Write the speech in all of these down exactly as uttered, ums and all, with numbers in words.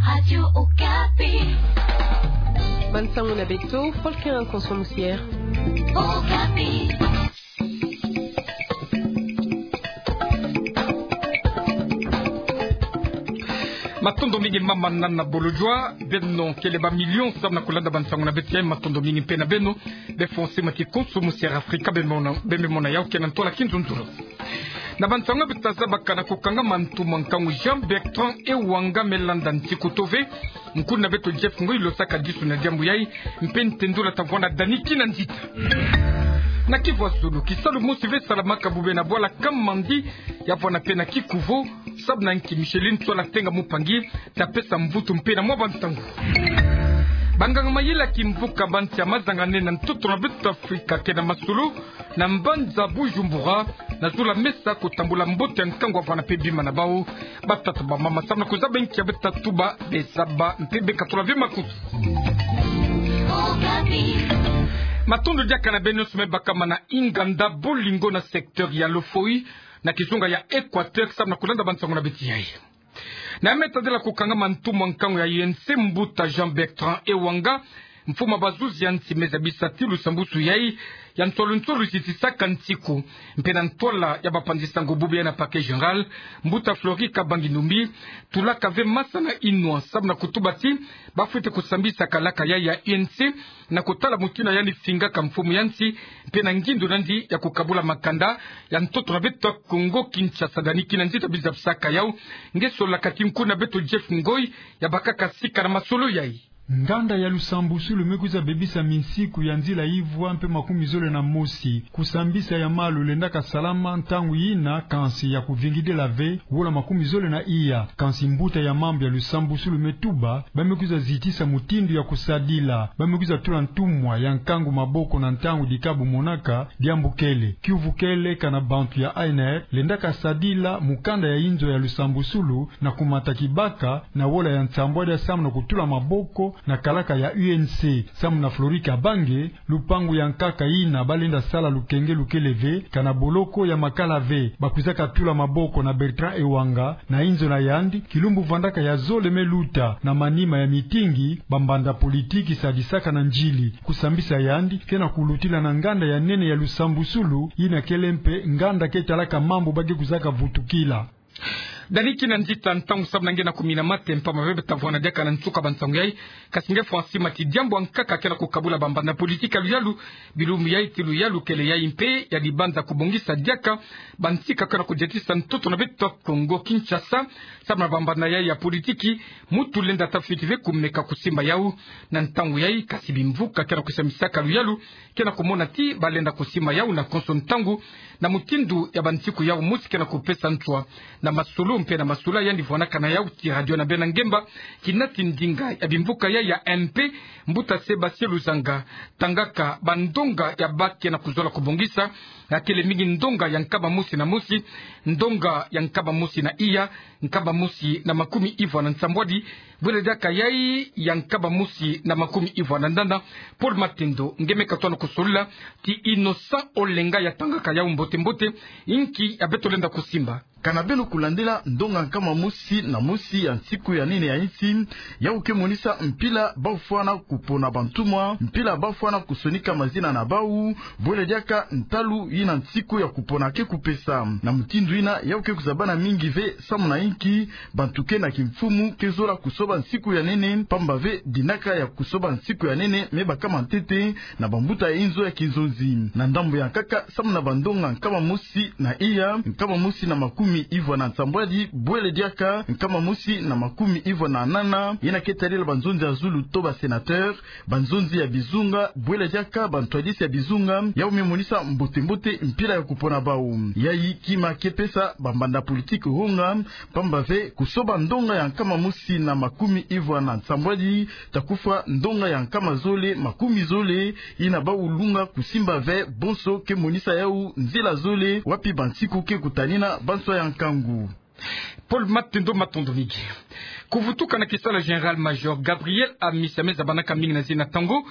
Radio Okapi. Bansango na beto, Paul Kerin Konso Musier. Okapi. Matondo mingi mama Nana Bolodjwa, beno kele ba million samu na kulanda bansango na beto yai, matondo mingi mpe na beno. Be fonse mati Konso Musier Afrika, be mona, be me mona yau ke na ntwala kinzunzulu. Na bansango beto ta zabaka, na kukangama ntumwa nkangu Jean Bertrand Ewanga me landa ntiku tove. Nkuna beto Jeff Ngoy lo saka disu na diambu yai, mpe ntendula ta vwanda Dani Kinanzita. Na kivwa zulu, kisalu mosi ve salamaka bube na bwala Kamandi, ya vwanda mpe na kikuvo, samu na nki Micheline Tsoala Tenga Mupangi ta pesa mvutu mpe na mwa bantangu. Banganga mayela kimvuka ba nsi ya mazanganene na ntoto na beto Afrika ke na masolo na mbanza Bujumbura, na zula mesa kutambula mbote ya nkangu ya vwanda mpe bima na bau. Batata bamama, samu na kuzaba nki ya beto ta tuba, be zaba mpe be katula ve makutu. Matondo diaka na beno nyonso me bakama na inganda Bolingo na secteur ya Lofoï, na kizunga ya Equateur, samu na kulanda bansango na beto yai. Na me tadila kukangama ntumwa nkangu ya U N C, mbuta Jean Bertrand Ewanga, mfumu ya bazuzi ya nsi, me zabisa ti lusambusu yai ya nsolo nsolo zitisaka nsiku, mpe na ntwala ya bapanzi sango bube yai na parquet général, mbuta Flory Kabangi Numbi, tulaka ve masa na inwa samu na kutuba ti bafwete kusambisa kalaka yai ya U N C na kutala mutindu yandi fingaka mfumu ya nsi, mpe na ngindu nandi ya kukabula makanda ya ntoto na beto Kongo Kinshasa. Dani Kinanzita ta bizabisaka yau, nge solaka ti nkuna beto Jeff Ngoy ya bakaka sika na masolo yai. Nganda ya lusambusulu me kwiza bebisa minsiku ya nzila ivwa mpe makumi zole na mosi. Kusambisa ya malu lendaka salama ntangu yina, kansi ya kuvingidila ve, wola makumi zole na iya. Kansi mbuta ya mambu ya lusambusulu me tuba, ba me kwiza zitisa mutindu ya kusadila. Ba me kwiza tula ntumwa ya nkangu maboko na ntangu dikabu monaka, diambu kele. Kiuvu kele kana bantu ya A N R lendaka sadila mukanda ya inzo ya lusambusulu na kumata kibaka na wola ya nsambwadi samu na kutula maboko na kalaka ya U N C. Samu na Flory Kabangi, lupangu ya nkaka yina ba lenda sala lukenge lukele ve, kana boloko ya makala ve. Bakwizaka tula maboko na Bertrand Ewanga na inzo na yandi, kilumbu vandaka ya zole me luta, na manima ya mitingi, bambanda politiki sadisaka na nzili. Kusambisa yandi ke na kulutila na nganda ya nene ya lusambusulu, yina kele mpe nganda ke talaka mambu ba ke kwizaka vutukila. Dani Kinanzita, ntangu samu na nge na kumina mate, mpamba ve beta vwanda diaka na nsuka bansangu yai. Kasi nge fwa nsima ti diambu ya nkaka ke na kukabula bambanda politiki ya luyalu, bilumbu yai ti luyalu kele yai mpe ya dibanza kubongisa diaka bantika ke na kudiatisa ntoto na beto Kongo Kinshasa, samu na bambanda yai ya politiki, mutu lenda ta fwiti ve kumeka kusimba yau na ntangu yai. Kasi bimvuka ke na kusambisaka luyalu ke na kumona ti ba lenda kusimba yau na konso ntangu, na mutindu ya bansiku yau mosi ke na kupesa nswa na masolo mpe na masolo yandi vwanaka na yau ti radio na bena ngemba, kina ti ndinga ya bimvuka yai ya M P, mbuta Sébastien Luzanga, tangaka bandonga ya ba ke na kuzola kubongisa, ya kele mingi ndonga ya nkama mosi na mosi, ndonga ya nkama mosi na iya, nkama mosi na makumi ivwa na nsambwadi, bwele diaka yai ya nkama mosi na makumi ivwa na nana. Paul Matendo, nge me katuka na kusolila ti Innocent Olenga ya tangaka yau mbote mbote, inki ya beto lenda kusimba. Kana beno kulandila ndonga nkama mosi na mosi ya nsiku ya nene ya insi, yau ke monisa mpila ba fwana kupona bantumwa, mpila ba fwana kusonika mazina na bau, bwele diaka ntalu yina nsiku ya kupona ke kupesa. Na mutindu yina, yau ke kuzabana mingi ve, samu na inki, bantu ke na kimfumu ke zola kusoba nsiku ya nene, mpamba ve dinaka ya kusoba nsiku ya nene me bakama ntete na bambuta ya inzo ya kinzonzi. Na ndambu ya nkaka, samu na bandonga nkama mosi na iya, nkama mosi na makumi ivwa na nsambwadi, bwele diaka nkama mosi na makumi ivwa na nana, yina ke tadila banzonzi ya zulu to ba sénateur, banzonzi ya bizunga, bwele diaka bantwadisi ya bizunga, yau me monisa mbote mbote mpila ya kupona bau. Yai kima ke pesa bambanda politiki honga, mpamba ve kusoba ndonga ya nkama mosi na makumi ivwa na nsambwadi, ta kufwa ndonga ya nkama zole makumi zole, yina bau lunga kusimba ve, bonso ke monisa yau nzila zole, wapi bansiku ke kutanina banswa ya nkangu. Paul Matendo, matondo mingi. Kuvutuka na kisalu ya Général-Major Gabriel Amisi, ya me zabanaka mingi na zina Tango,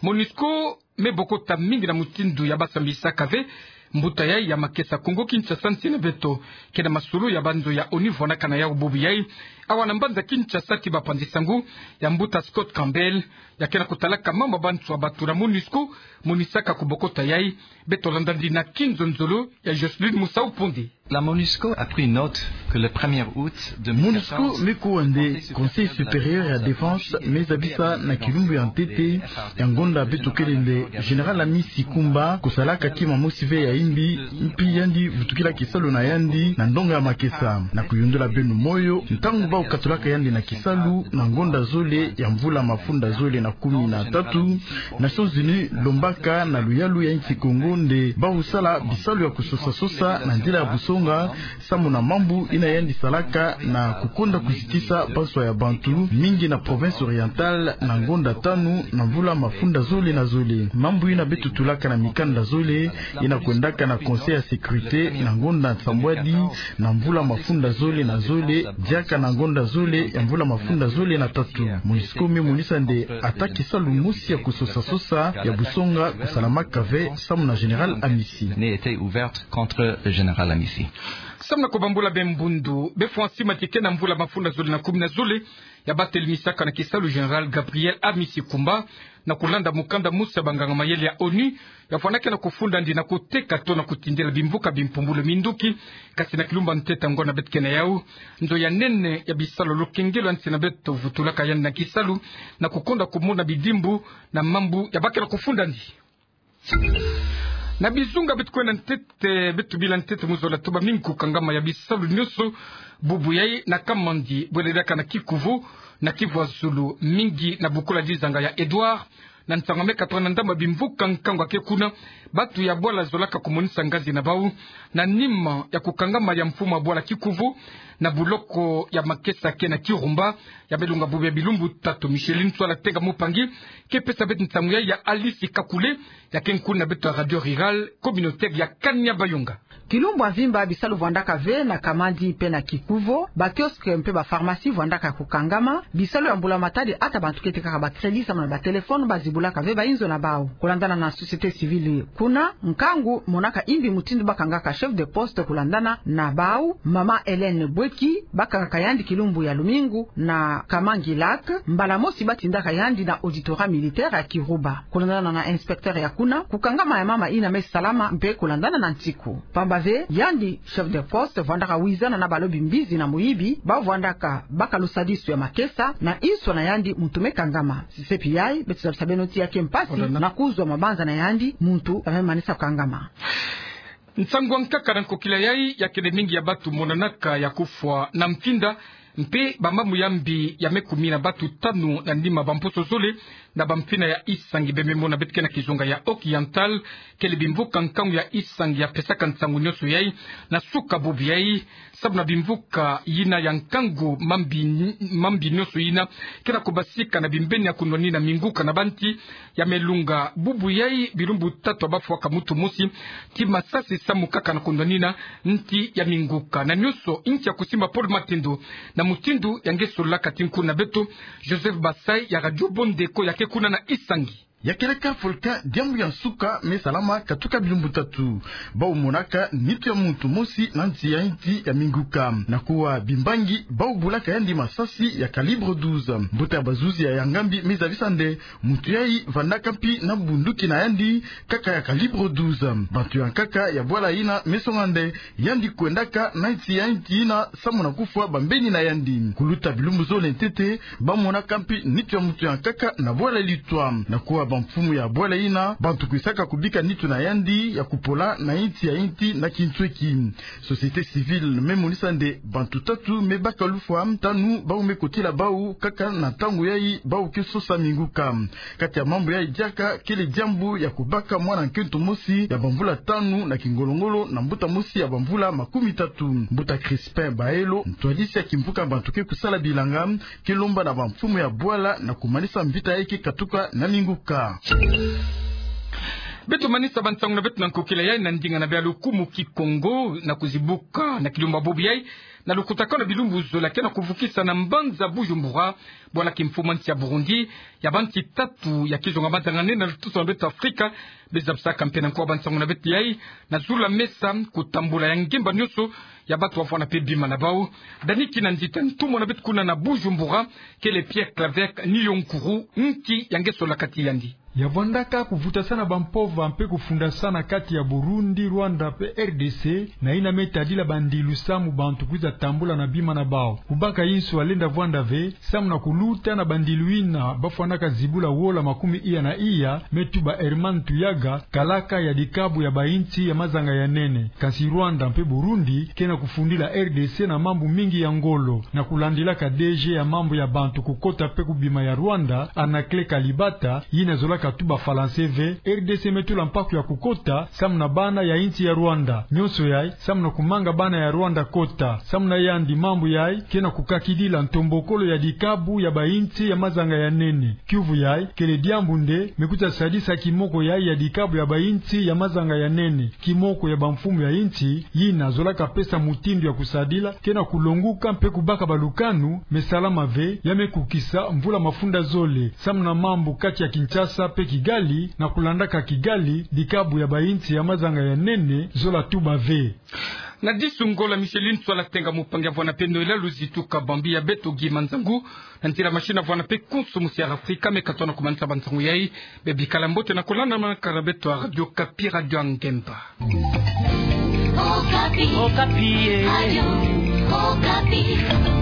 MONUSCO me bokota mingi na mutindu ya ba sambisaka ve Mbuta yayi ya makesa Kongo Kinshasa nsi na beto ke na masolo ya banzo ya ONU vwanakana yau bubu yayi awa na mbanza Kinshasa ti bapanzi sango ya mbuta Scott Campbell, ya ke na kutalaka mambu ya bantu ya batura MONUSCO monisaka ku bokota yayi. Beto landa ndina kinzonzolo ya Jocelyne Musau Ponde. La MONUSCO a pris note que le premier août MONUSCO me kuwa nde Conseil supérieur ya défense me zabisa na kilumbu ya ntete ya ngonda beto kele nde Général Amisi Kumba kusalaka kima mosi ve ya imbi, mpi yandi vutukila kisalu na yandi na ndonga ya makesa. Na kuyundula beno moyo, ntangu bau katulaka yandi na kisalu na ngonda zole ya mvula mafunda zole na kumi na tatu, Nations Unies lombaka na luyalu ya insi Kongo nde bau sala bisalu ya kusosa-sosa na nzila ya busonga, samu na mambu ina yandi salaka na kukonda kuzitisa banswa ya bantu mingi na province orientale na ngonda tanu na mvula mafunda zole na zole. Mambu ina beto tulaka na mikanda zole ina kwendaka na Conseil ya sécurité na ngonda nsambwadi na mvula mafunda zole na zole, diaka na ngonda zole ya mvula mafunda zole na tatu. MONUSCO me monisa nde ata kisalu mosi ya kusosa-sosa ya busonga kusalamaka ve samu na Général Amisi. N'ait été ouverte contre le général Amisi. Samu na kubambula be mbundu, be fwa nsima ti ke na mvula mafunda zole na kumi na zole, ya batelemisaka na kisalu Général Gabriel Amisi Kumba, na kulanda mukanda mosi ya banganga mayele ya ONU, ya fwanaka na kufunda ndi na kuteka to na kutindela bimvuka bimpumbulu minduki. Kasi na kilumbu ya ntete ya ngonda beto ke na yau, nzo ya nene ya bisalu ya lukengelo ya nsi na beto vutulaka yandi na kisalu, na kukonda kumona bidimbu na mambu ya ba ke na kufunda ndi. Na bizunga beto kwenda ntete, beto bila ntete mu zola tuba mingi kukangama ya bisalu nyonso bubu yayi na Kamandi, bwele diaka na Kikuvu, na Kivu ya zulu, mingi na bukula dizanga ya Edouard, na nsangu me katoka na ndambu ya bimvuka nkangu ya ke kuna, bantu ya bwala zolaka kumonisa ngazi na bau, na nima ya kukangama ya mfumu ya bwala Kikuvu na buloko ya makesa ke na Kirumba, ya me lunga bubu ya bilumbu tatu. Micheline Nswala Tenga Mupangi ke pesa beto nsangu yayi ya Alice Kakule, ya ke nkuna beto ya Radio Rurale Communautaire ya Kanyabayonga. Kilumbu ya mvimba bisalu vwandaka ve na Kamandi mpe na Kikuvu, ba kiosque mpe ba pharmacie vwandaka kukangama. Bisalu ya mbula matadi ata bantu ke tekaka ba crédit samu na ba téléphone bazibulaka ve ba inzo na bau. Kulandana na société civile kuna, nkangu monaka imbi mutindu ba kangaka chef de poste kulandana na bau, mama Hélène Bweki, ba kangaka yandi kilumbu ya lumingu na Kamangi Lac, mbala mosi ba tindaka yandi na auditorat militaire ya Kiruba. Kulandana na inspecteur ya kuna, kukangama ya mama ina me salama mpe kulandana na nsiku. Pamba ve, yandi chef de poste vwandaka wizana na balobi mbizi na muyibi, ba vwandaka baka lusadisu ya makesa, na inswa na yandi muntu me kangama. Sisepi yayi, beto zabisa beno ti ya ke mpasi na kuzwa mabanza na yandi muntu ya me manisa kukangama. Nsangu ya nkaka na nkokila yayi, ya kele mingi ya bantu monanaka ya kufwa na mfinda, mpe ba mambu ya mbi ya me kumina bantu tanu na nima bamposo zole na bamfina ya Isangi. Be me mona beto ke na kizunga ya Occidental, kele bimvuka nkangu ya Isangi ya pesaka nsangu nyonso yayi na suka bubu yayi, samu na bimvuka yina ya nkangu, mambi, mambi nyonso yina ke na kubasika na bimbeni ya kunwanina minguka na banti, ya me lunga bubu yayi bilumbu tatu ya bafwaka muntu mosi ti masasi samu kaka na kunwanina nti ya minguka. Na nyonso, inki ya kusimba Paul Matendo na mutindu ya nge sololaka ti nkuna beto Joseph Basai ya Radio Bondeko ya ke kuna na Isangi. Ya keleka volcan, diambu ya nsuka me salama katuka bilumbu tatu. Bau monaka nitu ya muntu mosi na nsi ya inti ya minguka. Na kuwa bimbangi bau bulaka yandi masasi ya calibre douze. Mbuta ya bazuzi ya, ya ngambi me zabisa nde muntu yayi vandaka mpi na bunduki na yandi, kaka ya calibre douze. Bantu ya nkaka ya bwala yina me songa nde yandi kwendaka na nsi ya inti yina samu na kufwa bambeni na yandi. Kuluta bilumbu zole ntete, ba monaka mpi nitu ya muntu ya nkaka na bwala litwa. Na kuwa bamfumu ya bwala yina, bantu kwisaka kubika nitu na yandi ya kupola na inti ya inti na kinsweki. Société civile me monisa nde bantu tatu me baka lufwa, tanu bau me kotila bau kaka na ntangu yayi bau ke sosa minguka. Kati ya mambu yayi diaka, kele diambu ya kubaka mwana nkento mosi ya bamvula tanu na kingolo-ngolo na mbuta mosi ya bamvula makumi tatu. Mbuta Crispin Baelo, ntwadisi ya kimvuka bantu ke kusala bilanga, ke lomba na bamfumu ya bwala na kumanisa mvita yayi ke katuka na minguka. Beto manisa bansangu na beto na nkokila yai na ndinga na bia lukumu Kikongo na kuzibuka na kilumbu bobo yai na lukutakanu na bilumbu zole ke na kuvukisa na mbanza Bujumbura bwala kimfumu nsi ya Burundi ya bansi tatu ya kizunga mazanga nene na lutusu na beto Afrika. Bezabisaka mpe na nkuwa bansangu na beto yai na zula mesa kutambula ya ngemba nionso ya bato wavwanda mpe bima na bau. Dani Kinanzita, ntumwa na beto kuna na Bujumbura, kele Pierre Claver Niyonkuru, nki ya nge sola kati yandi. Ya vwandaka kuvutasana bampova mpe kufundasana kati ya Burundi, Rwanda mpe R D C, na yina me tadila bandilu samu bantu kwiza tambula na bima na bau. Kubaka inso ya lenda vwanda ve, samu na kuluta na bandilu yina bafwanaka zibula wola makumi iya na iya, me tuba Herman Tuyaga, kalaka ya dikabu ya bainsi ya mazanga ya nene. Kansi Rwanda mpe Burundi ke na kufundila R D C na mambu mingi ya ngolo, na kulandilaka D G ya mambu ya bantu kukota mpe kubima ya Rwanda, Anaclet Kalibata, yina zolaka tuba Falanse ve, R D C me tula mpaku ya kukota samu na bana ya insi ya Rwanda. Nionso yai samu na kumanga bana ya Rwanda kota. Samu na yandi, mambu yai ke na kukakidila ntombokolo ya dikabu ya bainsi ya mazanga ya nene. Kiuvu yai kele diambu nde me kwiza sadisa kimoko yai ya dikabu ya bainsi ya mazanga ya nene. Kimoko ya bamfumu ya insi, yina zolaka pesa mutindu ya kusadila, ke na kulonguka mpe kubaka balukanu, me salama ve, ya me kukisa mvula mafunda zole. Samu na mambu kati ya Kinshasa mpe Kigali, na kulandaka Kigali, dikabu ya bainsi ya mazanga ya nene zola tuba ve. Na disu ngolo, Micheline Swala Tenga, mupangi ya vwanda mpe Noëlla Luzitu Kabambi ya beto Guy Manzangu, na nzila machine ya vwanda mpe konso musi ya Afrika, me katona kumanisa bansangu yai. Bebikala mbote na kulandamana kala beto ya Radio Okapi, Radio ya Ngemba. Okapi. Okapi, eh. Radio Okapi.